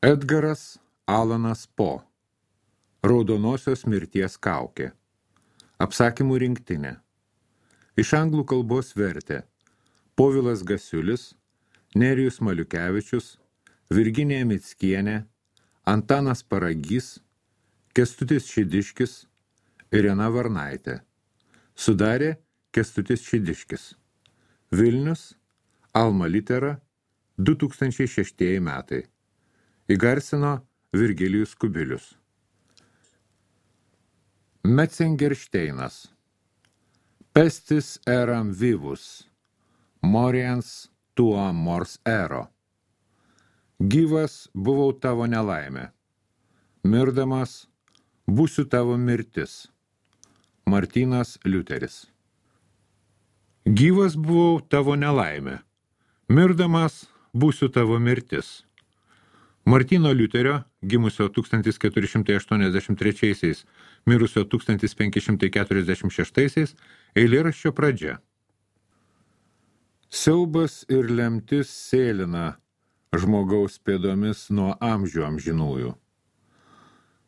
Edgaras Alanas Po. Raudonosios mirties kaukė. Apsakymų rinktinė. Iš anglų kalbos vertė Povilas Gasiulis, Nerijus Maliukevičius, Virginija Mickienė, Antanas Paragys, Kęstutis Šidiškis, Irena Varnaitė. Sudarė Kęstutis Šidiškis. Vilnius, Alma Litera, 2006 metai. Įgarsino Virgilijus Kubilius. Metzengeršteinas. Pestis eram vivus, moriens tuo mors ero. Gyvas buvau tavo nelaimė, mirdamas būsiu tavo mirtis. Martynas Liuteris. Gyvas buvau tavo nelaimė, mirdamas būsiu tavo mirtis. Martyno Liuterio, gimusio 1483, mirusio 1546, eilėraščio pradžia. Siaubas ir lemtis sėlina žmogaus pėdomis nuo amžių amžinųjų.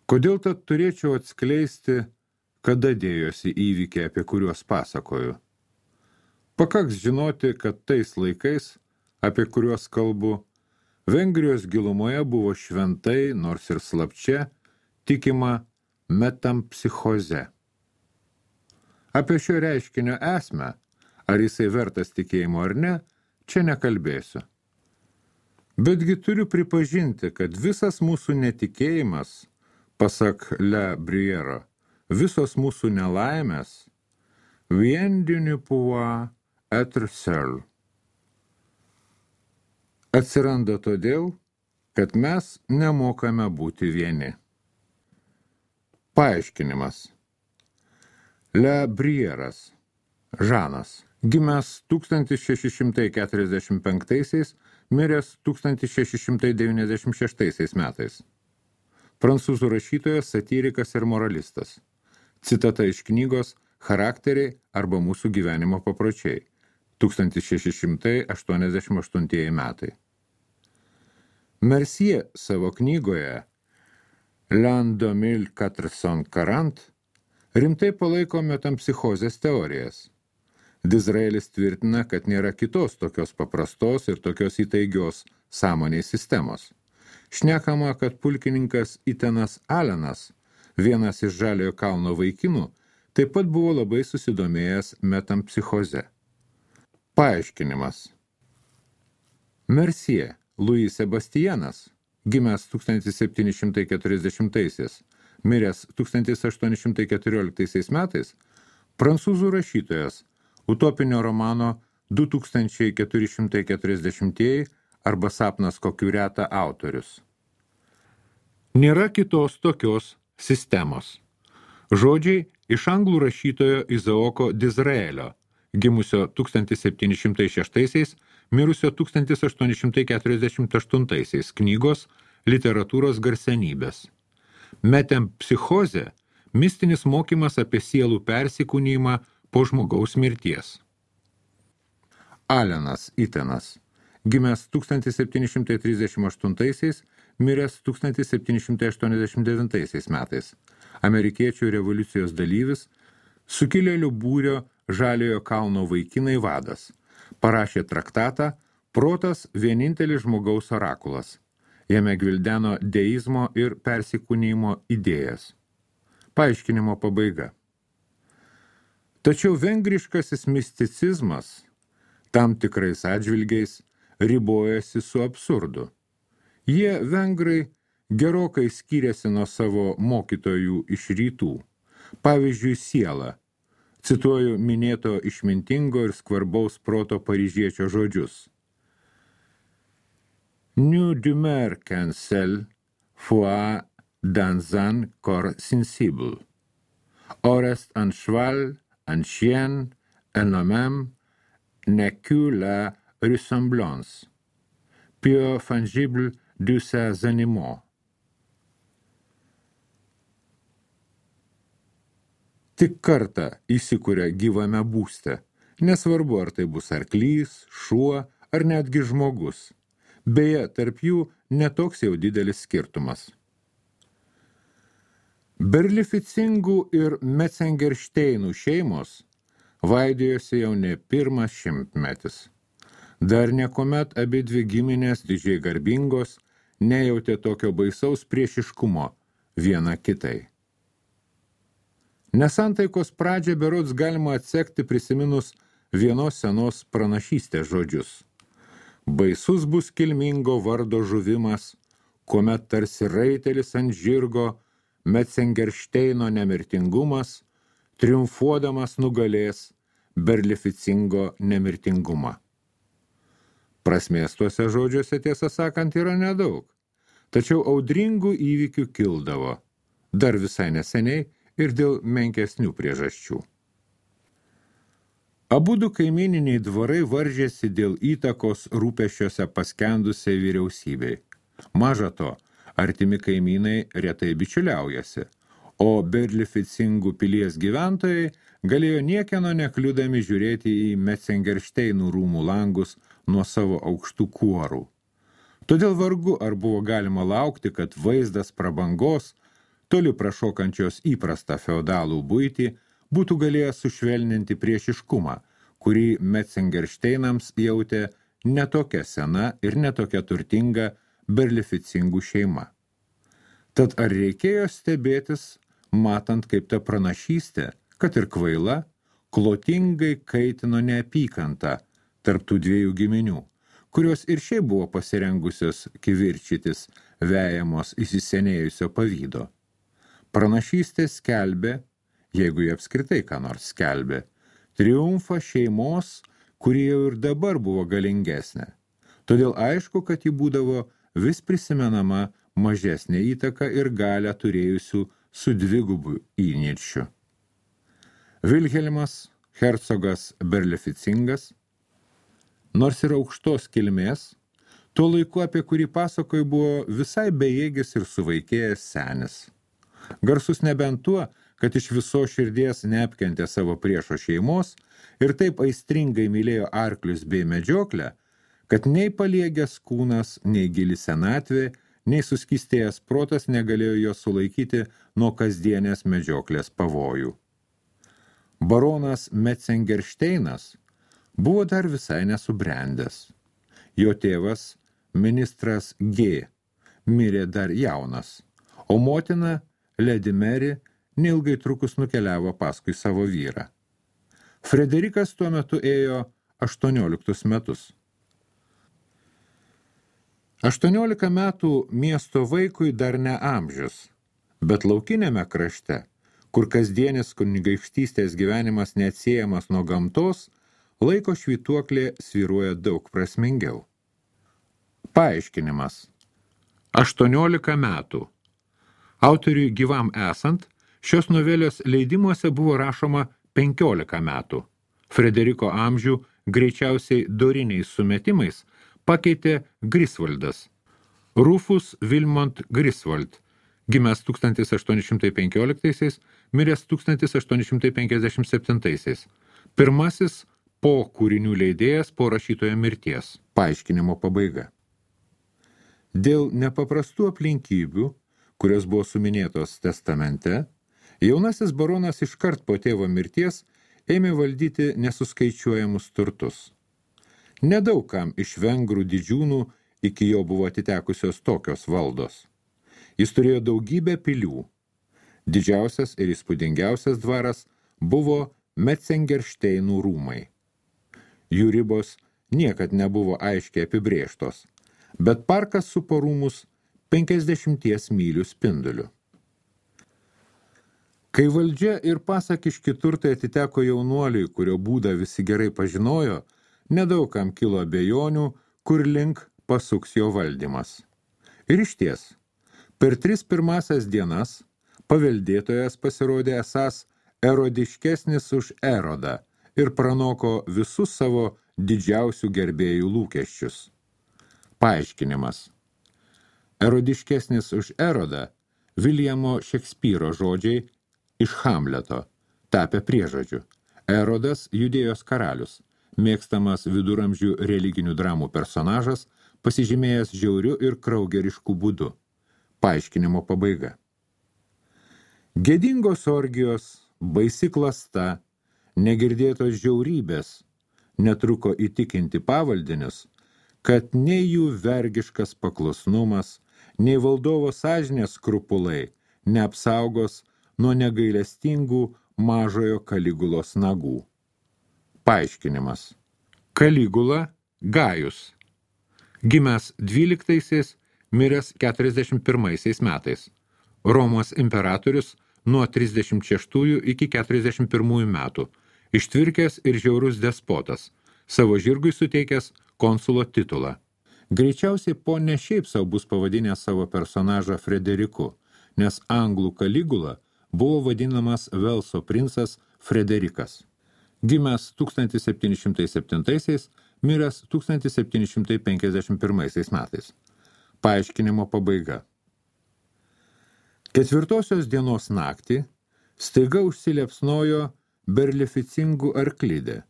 Kodėl tad turėčiau atskleisti, kada dėjosi įvykiai, apie kuriuos pasakoju? Pakaks žinoti, kad tais laikais, apie kuriuos kalbu, Vengrijos gilumoje buvo šventai, nors ir slapčia, tikima metampsichoze. Apie šio reiškinio esmę, ar jisai vertas tikėjimo ar ne, čia nekalbėsiu. Betgi turiu pripažinti, kad visas mūsų netikėjimas, pasak Le Briero, visos mūsų nelaimės, vien du ne pouvoir être seul. Atsiranda todėl, kad mes nemokame būti vieni. Paaiškinimas. Le Brieras, Žanas, gimęs 1645, miręs 1696 metais. Prancūzų rašytojas, satyrikas ir moralistas. Citata iš knygos Charakteriai arba mūsų gyvenimo papročiai. 1688 metai. Mercier savo knygoje L'an 2440 rimtai palaiko metampsichozės teorijas. Dizraelis tvirtina, kad nėra kitos tokios paprastos ir tokios įtaigios sąmonės sistemos. Šnekama, kad pulkininkas Itenas Alenas, vienas iš Žaliojo kalno vaikinų, taip pat buvo labai susidomėjęs metampsichoze. Paaiškinimas. Mercier Louis Sebastianas, gimęs 1740, miręs 1814 metais, prancūzų rašytojas, utopinio romano 2440 arba Sapnas kokių reta autorius. Nėra kitos tokios sistemos. Žodžiai iš anglų rašytojo Izaoko Dizraelio, gimusio 1706, mirusio 1848 knygos Literatūros garsenybės. Metempsichozė – mistinis mokymas apie sielų persikūnijimą po žmogaus mirties. Alenas Itenas, gimęs 1738, miręs 1789 metais. Amerikiečių revoliucijos dalyvis, sukilėlių būrio Žaliojo kalno vaikinai vadas. Parašė traktatą Protas vienintelis žmogaus orakulas. Jame gvildeno deizmo ir persikūnijimo idėjas. Paaiškinimo pabaiga. Tačiau vengriškasis misticizmas tam tikrais atžvilgiais ribojasi su absurdu. Jie, vengrai, gerokai skyrėsi nuo savo mokytojų iš rytų. Pavyzdžiui, siela. Cituoju minėto išmintingo ir skvarbaus proto paryžiečio žodžius. Nous demeure qu'un seul foi dans un corps sensible. Orest un cheval, un chien, un homme, n'est que la ressemblance, peu fungible de ces animaux. Tik kartą įsikuria gyvame būste, nesvarbu ar tai bus arklys, šuo ar netgi žmogus. Beje, tarp jų netoks jau didelis skirtumas. Berlificingų ir Metzengeršteinų šeimos vaidėjosi jau ne pirmas šimtmetis. Dar niekuomet abidvi giminės didžiai garbingos nejautė tokio baisaus priešiškumo viena kitai. Nesantaikos pradžią berods galima atsekti prisiminus vienos senos pranašystės žodžius. Baisus bus kilmingo vardo žuvimas, kuomet tarsi raitelis ant žirgo Metzengeršteino nemirtingumas, triumfuodamas nugalės Berlificingo nemirtingumą. Prasmės tuose žodžiuose, tiesą sakant, yra nedaug, tačiau audringų įvykių kildavo, dar visai neseniai ir dėl menkesnių priežasčių. Abudu kaimyniniai dvarai varžėsi dėl įtakos rūpesčiuose paskendusiai vyriausybei. Maža to, artimi kaimynai retai bičiuliaujasi, o Berlificingų pilies gyventojai galėjo niekieno nekliudami žiūrėti į Metzengeršteinų rūmų langus nuo savo aukštų kuorų. Todėl vargu ar buvo galima laukti, kad vaizdas prabangos, toli prašokančios įprastą feodalų buitį, būtų galėjęs sušvelninti priešiškumą, kurį Metzengeršteinams jautė netokia sena ir netokia turtinga Berlificingų šeima. Tad ar reikėjo stebėtis, matant, kaip ta pranašystė, kad ir kvaila, klotingai kaitino neapykantą tarp tų dviejų giminių, kurios ir šiaip buvo pasirengusios kivirčytis vejamos įsisenėjusio pavydo. Pranašystė skelbė, jeigu jie apskritai ką nors skelbė, triumfą šeimos, kuri jau ir dabar buvo galingesnė. Todėl aišku, kad ji būdavo vis prisimenama mažesnė įtaka ir galią turėjusių su dvigubu įniršiu. Vilhelmas, hercogas Berlificingas, nors ir aukštos kilmės, tuo laiku, apie kurį pasakoju, buvo visai bejėgis ir suvaikėjęs senis. Garsus nebent tuo, kad iš viso širdies neapkentė savo priešo šeimos ir taip aistringai mylėjo arklius bei medžioklę, kad nei paliegęs kūnas, nei gili senatvė, nei suskystėjęs protas negalėjo jo sulaikyti nuo kasdienės medžioklės pavojų. Baronas Metzengeršteinas buvo dar visai nesubrendęs. Jo tėvas, ministras G, mirė dar jaunas, o motina, Lady Mary, neilgai trukus nukeliavo paskui savo vyrą. Frederikas tuo metu ėjo 18 metus. 18 metų miesto vaikui dar ne amžius, bet laukinėme krašte, kur kasdienis kunigaikštystės gyvenimas neatsiejamas nuo gamtos, laiko švytuoklė svyruoja daug prasmingiau. Paaiškinimas. 18 metų. Autoriui gyvam esant, šios novelės leidimuose buvo rašoma 15 metų. Frederiko amžių greičiausiai doriniais sumetimais pakeitė Grisvaldas. Rufus Vilmont Griswold, gimęs 1815, miręs 1857. Pirmasis po kūrinių leidėjas po rašytojo mirties. Paaiškinimo pabaiga. Dėl nepaprastų aplinkybių, kurios buvo suminėtos testamente, jaunasis baronas iškart po tėvo mirties ėmė valdyti nesuskaičiuojamus turtus. Nedaug kam iš vengrų didžiūnų iki jo buvo atitekusios tokios valdos. Jis turėjo daugybę pilių. Didžiausias ir įspūdingiausias dvaras buvo Metzengeršteinų rūmai. Jų ribos niekad nebuvo aiškiai apibrėžtos, bet parkas supo rūmus 50 mylių spinduliu. Kai valdžia ir pasakiški turtai atiteko jaunuoliui, kurio būdą visi gerai pažinojo, nedaug kam kilo abejonių, kur link pasuks jo valdymas. Ir išties, per 3 pirmasias dienas paveldėtojas pasirodė esąs erodiškesnis už Erodą ir pranoko visus savo didžiausių gerbėjų lūkesčius. Paaiškinimas. Erodiškesnis už Erodą Viljamo Šekspyro žodžiai iš Hamleto, tapę priežodžiu. Erodas Judėjos karalius, mėgstamas viduramžių religinių dramų personažas, pasižymėjęs žiauriu ir kraugerišku būdu. Paaiškinimo pabaiga. Gėdingos orgijos, baisi klasta, negirdėtos žiaurybės netruko įtikinti pavaldinius, kad nei jų vergiškas paklusnumas, nei valdovo sąžinės skrupulai neapsaugos nuo negailestingų mažojo Kaligulos nagų. Paaiškinimas. Kaligula Gajus. Gimęs 12, miręs 41 metais. Romos imperatorius nuo 36 iki 41 metų. Ištvirkęs ir žiaurus despotas, savo žirgui suteikęs konsulo titulą. Greičiausiai po ne šiaip sau bus pavadinęs savo personažą Frederiku, nes anglų Kaligula buvo vadinamas Velso princas Frederikas. Gimęs 1707, miręs 1751 metais. Paaiškinimo pabaiga. Ketvirtosios dienos naktį staiga užsiliepsnojo berlificingų arklidė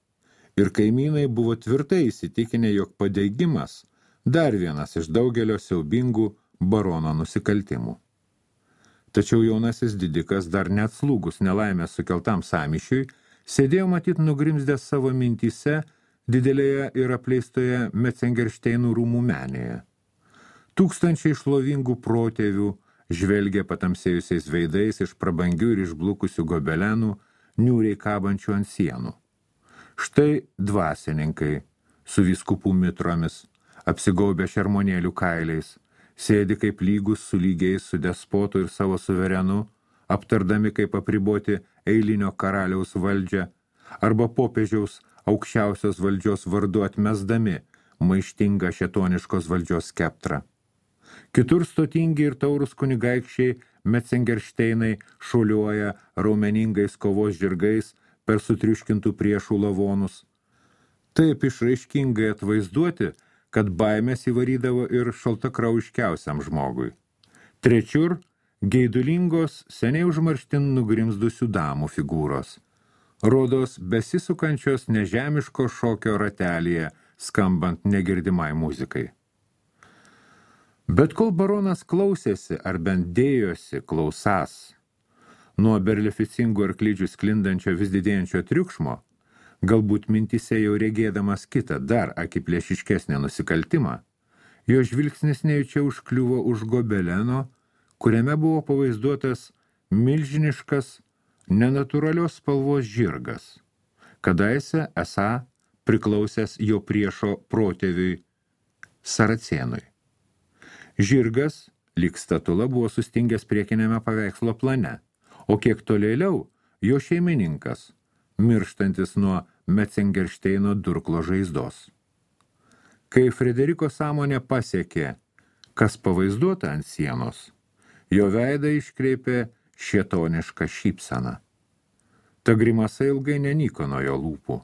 ir kaimynai buvo tvirtai įsitikinę, jog padeigimas dar vienas iš daugelio siaubingų barono nusikaltimų. Tačiau jaunasis didikas dar neatslūgus nelaimės sukeltam sąmyšiui, sėdėjo matyt nugrimzdęs savo mintyse didelėje ir apleistoje Metzengeršteinų rūmų menėje. Tūkstančiai šlovingų protėvių žvelgė patamsėjusiais veidais iš prabangių ir išblukusių gobelenų, niūriai kabančių ant sienų. Štai dvasininkai su vyskupų mitromis, apsigaubę šermonėlių kailiais, sėdi kaip lygus su lygiais su despotu ir savo suverenu, aptardami kaip apriboti eilinio karaliaus valdžią, arba popiežiaus aukščiausios valdžios vardu atmesdami maištingą šėtoniškos valdžios skeptrą. Kitur stotingi ir taurus kunigaikščiai Metzengeršteinai šuoliuoja raumeningais kovos žirgais per sutriuškintų priešų lavonus. Taip išraiškingai atvaizduoti, kad baimės įvarydavo ir šaltakraujiškiausiam žmogui. Trečiur geidulingos, seniai užmarštin nugrimzdusių damų figūros. Rodos besisukančios nežemiško šokio ratelėje, skambant negirdimai muzikai. Bet kol baronas klausėsi ar bent dėjosi klausas nuo berlificingų arklidžių sklindančio vis didėjančio triukšmo, galbūt mintise jau regėdamas kitą dar akiplėšiškesnį nusikaltimą, jo žvilgsnis nejučia užkliuvo už gobeleno, kuriame buvo pavaizduotas milžiniškas, nenatūralios spalvos žirgas, kadaise esą priklausęs jo priešo protėviui Saracėnui. Žirgas, lyg statula, buvo sustingęs priekinėme paveikslo plane, o kiek tolėliau jo šeimininkas, mirštantis nuo Metzengeršteino durklo žaizdos. Kai Frederiko sąmonė pasiekė, kas pavaizduota ant sienos, jo veidą iškreipė šėtonišką šypseną. Ta grimasa ilgai nenyko nuo jo lūpų.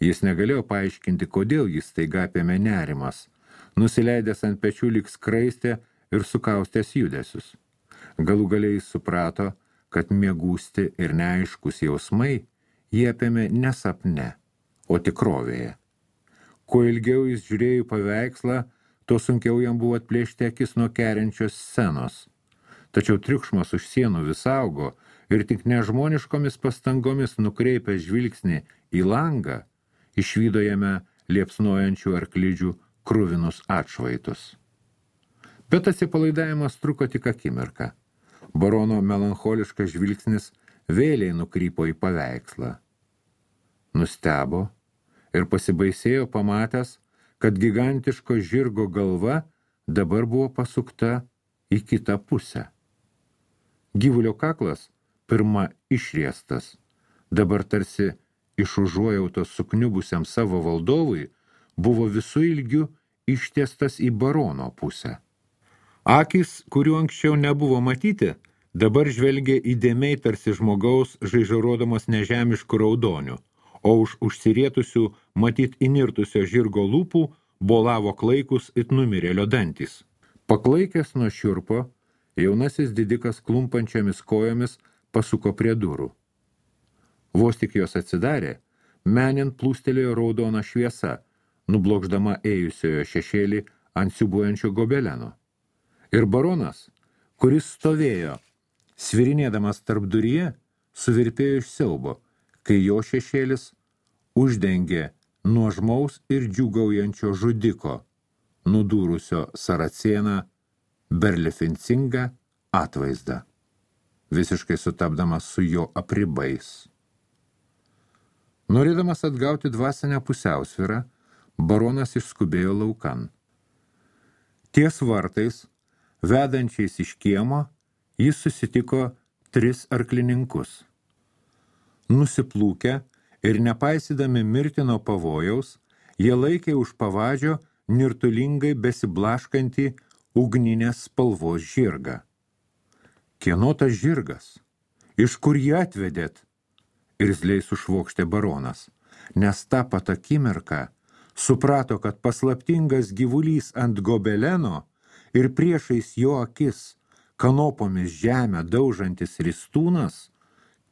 Jis negalėjo paaiškinti, kodėl jis staiga apėmė nerimas, nusileidęs ant pečių lyg skraistė ir sukaustęs judesius. Galų galiai jis suprato, kad miegūsti ir neaiškus jausmai jie apėmė ne sapne, o tikrovėje. Kuo ilgiau jis žiūrėjo į paveikslą, tuo sunkiau jam buvo atplėšti akis nuo keriančios scenos. Tačiau triukšmas už sienų vis augo ir tik nežmoniškomis pastangomis nukreipęs žvilgsnį į langą, išvydo jame liepsnojančių arklidžių kruvinus atšvaitus. Bet atsipalaidavimas truko tik akimirką. Barono melancholiškas žvilgsnis vėliai nukrypo į paveikslą. Nustebo ir pasibaisėjo pamatęs, kad gigantiško žirgo galva dabar buvo pasukta į kitą pusę. Gyvulio kaklas, pirma išriestas, dabar tarsi iš užuojautos sukniubusiam savo valdovui, buvo visų ilgių ištiestas į barono pusę. Akys, kurių anksčiau nebuvo matyti, dabar žvelgė įdėmiai tarsi žmogaus žaižarodamas nežemiškų raudonių, o už užsirietusių matyt įnirtusio žirgo lūpų bolavo klaikus it numirėlio dantys. Paklaikęs nuo šiurpo, jaunasis didikas klumpančiomis kojomis pasuko prie durų. Vos tik jos atsidarė, menint plūstelėjo raudona šviesa, nublokšdama ėjusiojo šešėlį ant siūbuojančio gobeleno. Ir baronas, kuris stovėjo, svirinėdamas tarp duryje, suvirpėjo iš siaubo, kai jo šešėlis uždengė nuožmaus ir džiūgaujančio žudiko, nudūrusio Saracėną berlificingą atvaizdą, visiškai sutapdamas su jo apribais. Norėdamas atgauti dvasinę pusiausvyrą, baronas išskubėjo laukan. Ties vartais, vedančiais iš kiemo, jis susitiko 3 arklininkus. Nusiplūkę ir nepaisydami mirtino pavojaus, jie laikė už pavadžio nirtulingai besiblaškantį ugninės spalvos žirgą. Kieno tas žirgas? Iš kur jį atvedėt? Irzliai sušvokštė baronas, nes tą pat akimirką suprato, kad paslaptingas gyvulys ant gobeleno ir priešais jo akis kanopomis žemę daužantis ristūnas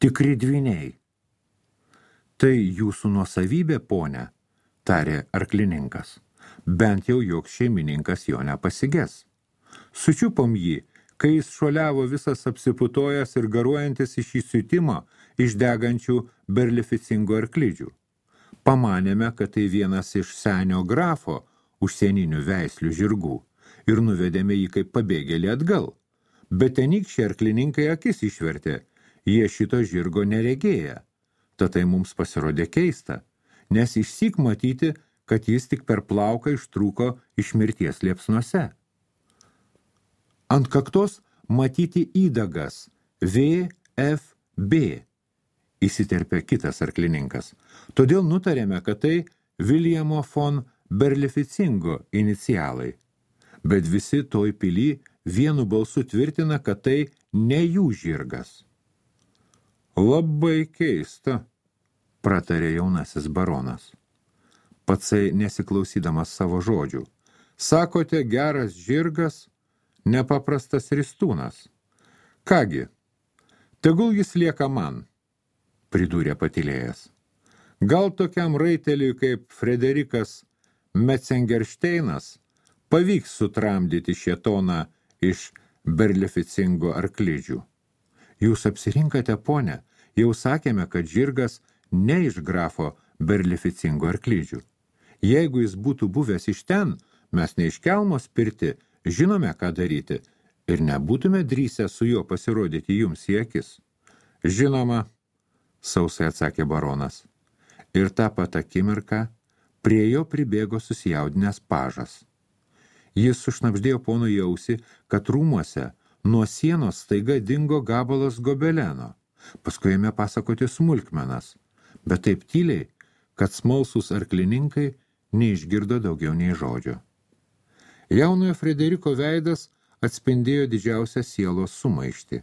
tikri dvyniai. Tai jūsų nuosavybė, ponia, tarė arklininkas. Bent jau joks šeimininkas jo nepasiges. Sučiupom jį, kai jis šuoliavo visas apsiputojęs ir garuojantis iš įsiutimo iš degančių berlificingų arklidžių. Pamanėme, kad tai vienas iš senio grafo užsieninių veislių žirgų ir nuvedėme jį kaip pabėgėlį atgal. Bet tenykščiai arklininkai akis išvertė, jie šito žirgo neregėję. Tad tai mums pasirodė keista, nes išsyk matyti, kad jis tik per plauką ištrūko iš mirties liepsnuose. Ant kaktos matyti įdagas VFB, įsiterpė kitas arklininkas. Todėl nutarėme, kad tai Viljamo von Berlificingo inicialai. Bet visi toj pily vienu balsu tvirtina, kad tai ne jų žirgas. Labai keista, pratarė jaunasis baronas. Patsai nesiklausydamas savo žodžių. Sakote, geras žirgas, nepaprastas ristūnas. Kągi, tegul jis lieka man, pridūrė patylėjęs. Gal tokiam raiteliui kaip Frederikas Metzengeršteinas pavyks sutramdyti šėtoną iš berlificingo arklidžių. Jūs apsirinkate, ponę, jau sakėme, kad žirgas ne iš grafo berlificingo arklidžių. Jeigu jis būtų buvęs iš ten, mes ne iš kelmo spirti, žinome, ką daryti, ir nebūtume drįsę su juo pasirodyti jums į akis. Žinoma, sausai atsakė baronas. Ir tą pat akimirką prie jo pribėgo susijaudinęs pažas. Jis sušnabždėjo ponui į ausį, kad rūmuose nuo sienos staiga dingo gabalas gobeleno. Paskui ėmė pasakoti smulkmenas, bet taip tyliai, kad smalsūs arklininkai neišgirdo daugiau nei žodžio. Jaunojo Frederiko veidas atspindėjo didžiausią sielos sumaištį.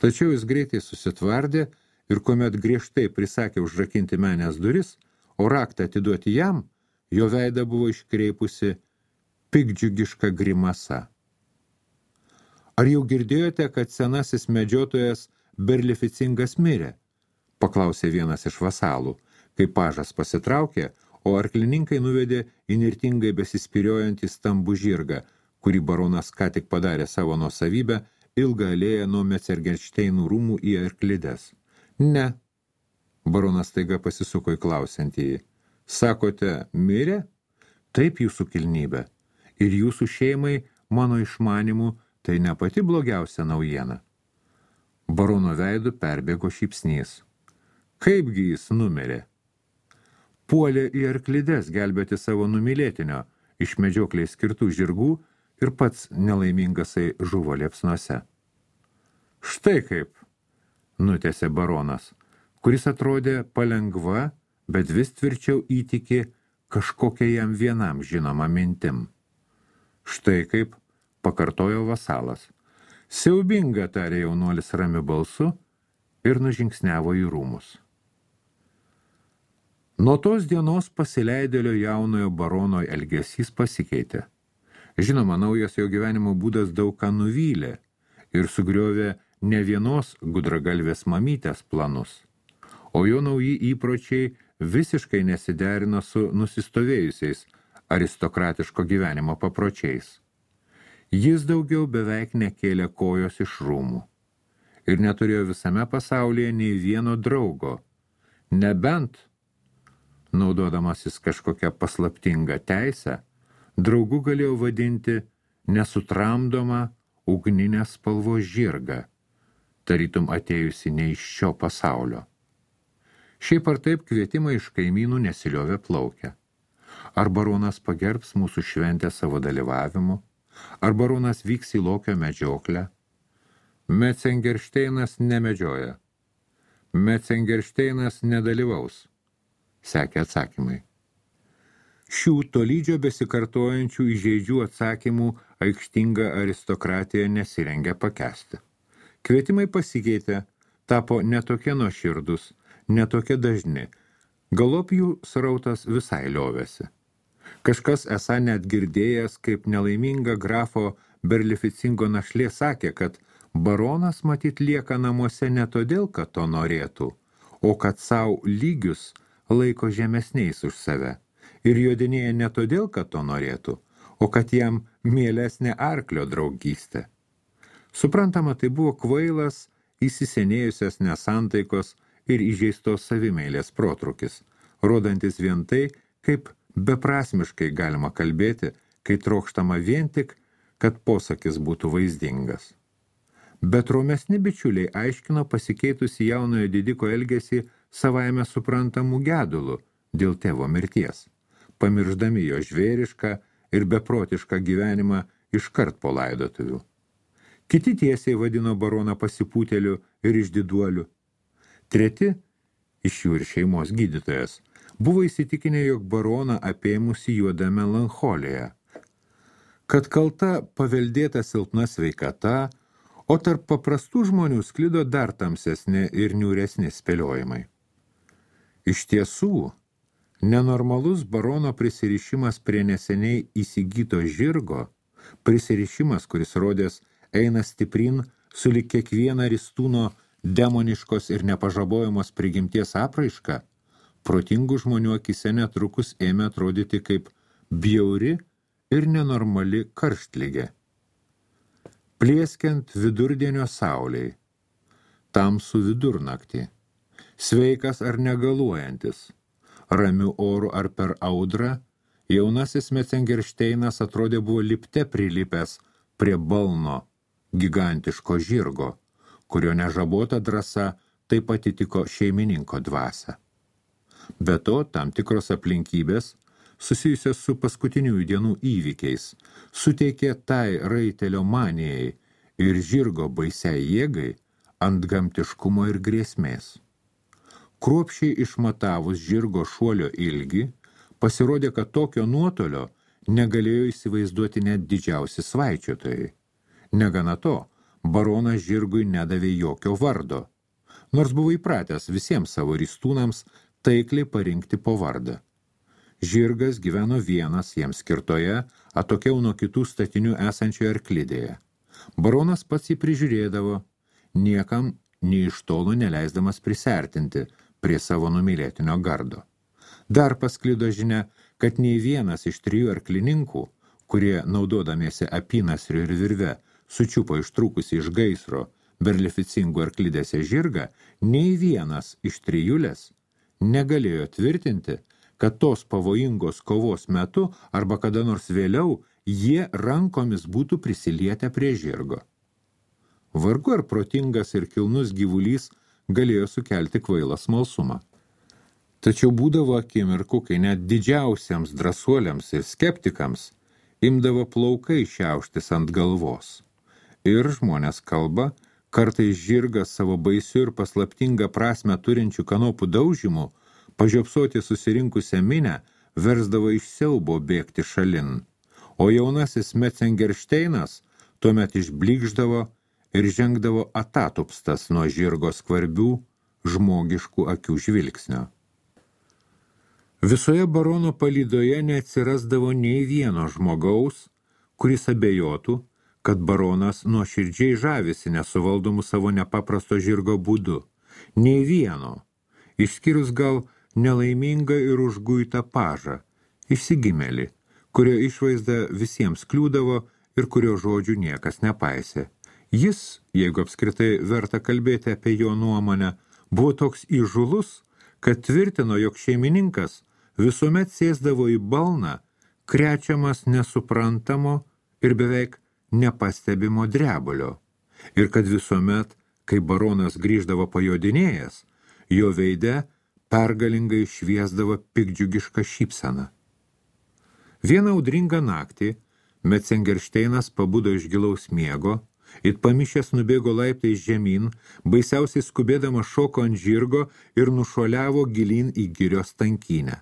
Tačiau jis greitai susitvardė ir kuomet griežtai prisakė užrakinti menės duris, o raktą atiduoti jam, jo veidą buvo iškreipusi pikdžiugiška grimasa. Ar jau girdėjote, kad senasis medžiotojas Berlificingas mirė? Paklausė vienas iš vasalų, kai pažas pasitraukė, o arklininkai nuvedė įnirtingai besispiriojantį stambų žirgą, kurį baronas ką tik padarė savo nuosavybę, ilgą alėją nuo Metzengeršteinų rūmų į arklides. Ne, baronas staiga pasisuko į klausiantįjį. Sakote, mirė? Taip, jūsų kilnybė. Ir jūsų šeimai, mano išmanimu, tai ne pati blogiausia naujiena. Barono veidu perbėgo šypsnys. Kaipgi jis numirė? Puolė į arklides gelbėti savo numylėtinio, iš medžioklei skirtų žirgų ir pats nelaimingasai žuvo liepsnuose. Štai kaip, nutęsė baronas, kuris atrodė palengva, bet vis tvirčiau įtiki kažkokia jam vienam žinoma mintim. Štai kaip, pakartojo vasalas. Siaubinga, tarė jaunuolis ramiu balsu ir nužingsniavo į rūmus. Nuo tos dienos pasileidėlio jaunojo barono elgesys pasikeitė. Žinoma, naujas jo gyvenimo būdas daug ką nuvylė ir sugriovė ne vienos gudragalvės mamytės planus, o jo nauji įpročiai visiškai nesiderino su nusistovėjusiais aristokratiško gyvenimo papročiais. Jis daugiau beveik nekėlė kojos iš rūmų ir neturėjo visame pasaulyje nei vieno draugo, nebent, naudodamasis kažkokią paslaptingą teisę, draugu galėjo vadinti nesutramdomą ugninės spalvos žirgą, tarytum atėjusi ne iš šio pasaulio. Šiaip ar taip kvietimai iš kaimynų nesiliovė plaukę. Ar baronas pagerbs mūsų šventę savo dalyvavimu, ar baronas vyks į lokio medžioklę. Metzengeršteinas nemedžioja. Metzengeršteinas nedalyvaus, sekė atsakymai. Šių tolydžio besikartojančių įžeidžių atsakymų aikštinga aristokratija nesirengia pakęsti. Kvietimai pasikeitė, tapo netokie nuoširdus, netokie dažni, galop jų srautas visai liovėsi. Kažkas esą net girdėjęs, kaip nelaiminga grafo Berlificingo našlė sakė, kad baronas matyt lieka namuose ne todėl, kad to norėtų, o kad savo lygius laiko žemesniais už save ir jodinėja ne todėl, kad to norėtų, o kad jam mielesnė arklio draugystė. Suprantama, tai buvo kvailas, įsisenėjusias nesantaikos ir įžeistos savimeilės protrukis, rodantis vien tai, kaip beprasmiškai galima kalbėti, kai trokštama vien tik, kad posakis būtų vaizdingas. Bet romesni bičiuliai aiškino pasikeitusi jaunojo didiko elgesį savaime suprantamų gedulų dėl tėvo mirties, pamirždami jo žvėrišką ir beprotišką gyvenimą iškart po laidotuvių. Kiti tiesiai vadino baroną pasipūteliu ir išdiduoliu. Treti, iš jų ir šeimos gydytojas, buvo įsitikinę, jog baroną apėmusi juoda melancholija, kad kalta paveldėta silpna sveikata, o tarp paprastų žmonių sklido dar tamsesni ir niūresni spėliojimai. Iš tiesų, nenormalus barono prisirišimas prie neseniai įsigyto žirgo, prisirišimas, kuris rodės eina stiprin sulig kiekvieną ristūno demoniškos ir nepažabojamos prigimties apraišką, protingų žmonių akise netrukus ėmė atrodyti kaip bjauri ir nenormali karštligė. Plieskiant vidurdienio saulei, tamsų vidurnaktį, sveikas ar negaluojantis, ramiu oru ar per audrą, jaunasis Metzengeršteinas atrodė buvo lipte prilipęs prie balno gigantiško žirgo, kurio nežabota drąsa taip atitiko šeimininko dvasią. Be to, tam tikros aplinkybės, susijusios su paskutiniųjų dienų įvykiais, suteikė tai raitelio manijai ir žirgo baisiai jėgai antgamtiškumo ir grėsmės. Kruopščiai išmatavus žirgo šuolio ilgį, pasirodė, kad tokio nuotolio negalėjo įsivaizduoti net didžiausi svaičiotojai. Negana to, baronas žirgui nedavė jokio vardo, nors buvo įpratęs visiems savo ristūnams taikliai parinkti po vardą. Žirgas gyveno vienas jiems skirtoje, atokiau nuo kitų statinių esančioje arklidėje. Baronas pats jį prižiūrėdavo, niekam nei iš tolo neleisdamas prisertinti prie savo numylėtinio gardo. Dar pasklido žinia, kad nei vienas iš 3 arklininkų, kurie, naudodamiesi apynasriu ir virve, sučiupo ištrūkusi iš gaisro Berlificingų arklidėse žirgą, nei vienas iš 3 negalėjo tvirtinti, kad tos pavojingos kovos metu arba kada nors vėliau jie rankomis būtų prisilietę prie žirgo. Vargu ar protingas ir kilnus gyvulys galėjo sukelti kvailą smalsumą. Tačiau būdavo akimirkų, kai net didžiausiems drąsuoliams ir skeptikams imdavo plaukai šiauštis ant galvos. Ir žmonės kalba, kartais žirgas savo baisiu ir paslaptingą prasmę turinčių kanopų daužymų pažiopsoti susirinkusią minę versdavo iš siaubo bėgti šalin, o jaunasis Metzengeršteinas tuomet išblykšdavo ir žengdavo atatupstas nuo žirgo skvarbių žmogiškų akių žvilgsnio. Visoje barono palydoje neatsirasdavo nei vieno žmogaus, kuris abejotų, kad baronas nuoširdžiai žavisi nesuvaldomų savo nepaprasto žirgo būdu. Nei vieno, išskyrus gal nelaimingą ir užguitą pažą, išsigimėlį, kurio išvaizda visiems kliūdavo ir kurio žodžių niekas nepaisė. Jis, jeigu apskritai verta kalbėti apie jo nuomonę, buvo toks įžūlus, kad tvirtino, jog šeimininkas visuomet sėsdavo į balną, krečiamas nesuprantamo ir beveik nepastebimo drebulio, ir kad visuomet, kai baronas grįždavo pajodinėjęs, jo veide pergalingai šviesdavo piktdžiugišką šypseną. Vieną audringą naktį Metzengeršteinas pabudo iš gilaus miego, it pamišęs nubėgo laiptais žemyn, baisiausiai skubėdamas šoko ant žirgo ir nušuoliavo gilyn į girios tankynę.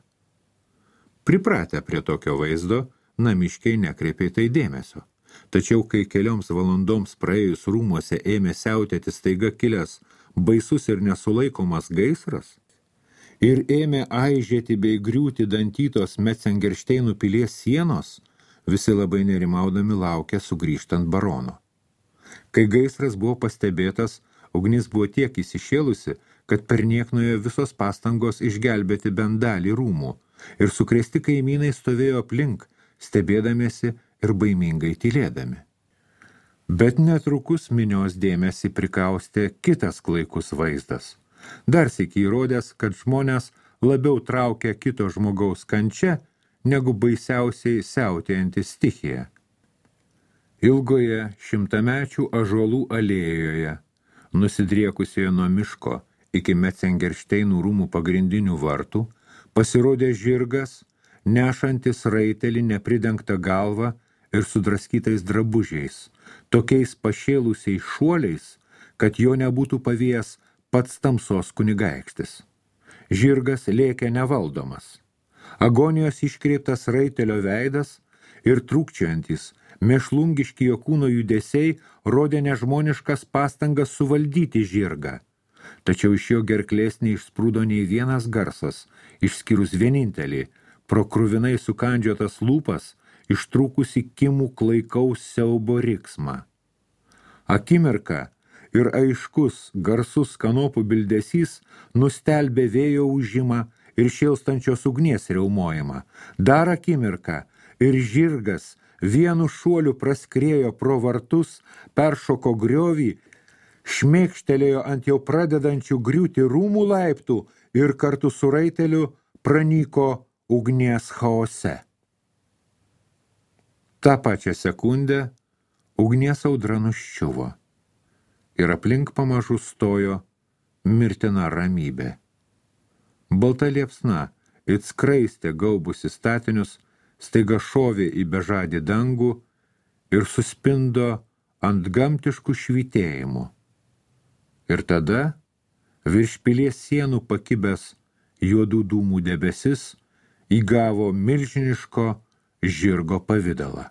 Pripratę prie tokio vaizdo, namiškiai nekreipė tai dėmesio. Tačiau, kai kelioms valandoms praėjus rūmuose ėmė siautėti staiga kilęs baisus ir nesulaikomas gaisras, ir ėmė aižėti bei griūti dantytos Metzengeršteinų pilies sienos, visi labai nerimaudami laukė sugrįžtant barono. Kai gaisras buvo pastebėtas, ugnis buvo tiek įsišėlusi, kad perniek nuėjo visos pastangos išgelbėti bent dalį rūmų, ir sukrėsti kaimynai stovėjo aplink, stebėdamiesi ir baimingai tylėdami. Bet netrukus minios dėmesį prikaustė kitas klaikus vaizdas. Dar sykį įrodęs, kad žmonės labiau traukia kito žmogaus kančia, negu baisiausiai siautėjanti stichija. Ilgoje šimtamečių ąžuolų alėjoje, nusidriekusioje nuo miško iki Metzengeršteinų rūmų pagrindinių vartų, pasirodė žirgas, nešantis raitelį nepridengtą galvą ir sudraskytais drabužiais, tokiais pašėlusiais šuoliais, kad jo nebūtų pavėjęs pats tamsos kunigaikštis. Žirgas lėkė nevaldomas. Agonijos iškreiptas raitelio veidas ir trūkčiojantis, mėšlungiški jo kūno judesiai rodė nežmoniškas pastangas suvaldyti žirgą. Tačiau iš jo gerklės neišsprūdo nei vienas garsas, išskyrus vienintelį, pro kruvinai sukandžiotas lūpas, ištrūkusi kimų klaikaus siaubo riksmą. Akimirką ir aiškus, garsus kanopų bildesys nustelbė vėjo ūžimą ir šėlstančios ugnies riaumojimą. Dar akimirką ir žirgas vienu šuoliu praskriejo pro vartus, peršoko griovį, šmėkštelėjo ant jau pradedančių griūti rūmų laiptų ir kartu su raiteliu pranyko ugnies chaose. Ta pačią sekundę ugnies audra nuščiuvo ir aplink pamažu stojo mirtina ramybė. Balta liepsna, it skraistė gaubusi statinius, staiga šovė į bežadį dangų ir suspindo ant gamtiškų švytėjimų. Ir tada virš pilies sienų pakibęs juodų dūmų debesis įgavo milžiniško žirgo pavidalą.